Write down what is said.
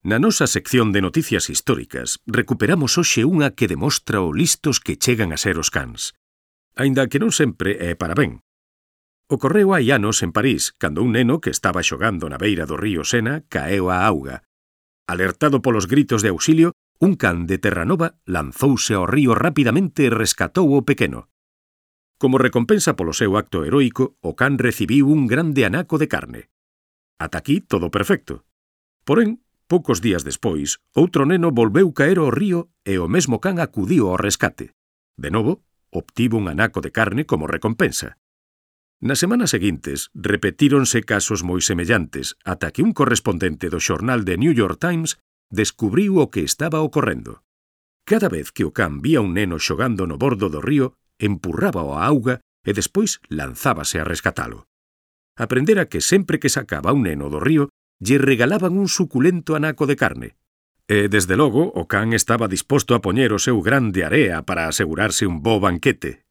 Na nosa sección de noticias históricas recuperamos hoxe unha que demostra o listos que chegan a ser os cans. Aínda que non sempre é para ben. Ocorreu hai anos en París, cando un neno que estaba xogando na beira do río Sena caeu á auga. Alertado polos gritos de auxilio, un can de Terranova lanzouse ao río rapidamente e rescatou o pequeno. Como recompensa polo seu acto heroico, o can recibiu un grande anaco de carne. Ata aquí todo perfecto. Porén, poucos días despois, outro neno volveu caer ao río e o mesmo can acudiu ao rescate. De novo, obtivo un anaco de carne como recompensa. Nas semanas seguintes, repetíronse casos moi semellantes ata que un correspondente do xornal The New York Times descubriu o que estaba ocorrendo. Cada vez que o can vía un neno xogando no bordo do río, empurrábao á auga e despois lanzábase a rescatalo. Aprendera que sempre que sacaba un neno do río, lle regalaban un suculento anaco de carne. E, desde logo, o can estaba disposto a poñer o seu grande area para asegurarse un bo banquete.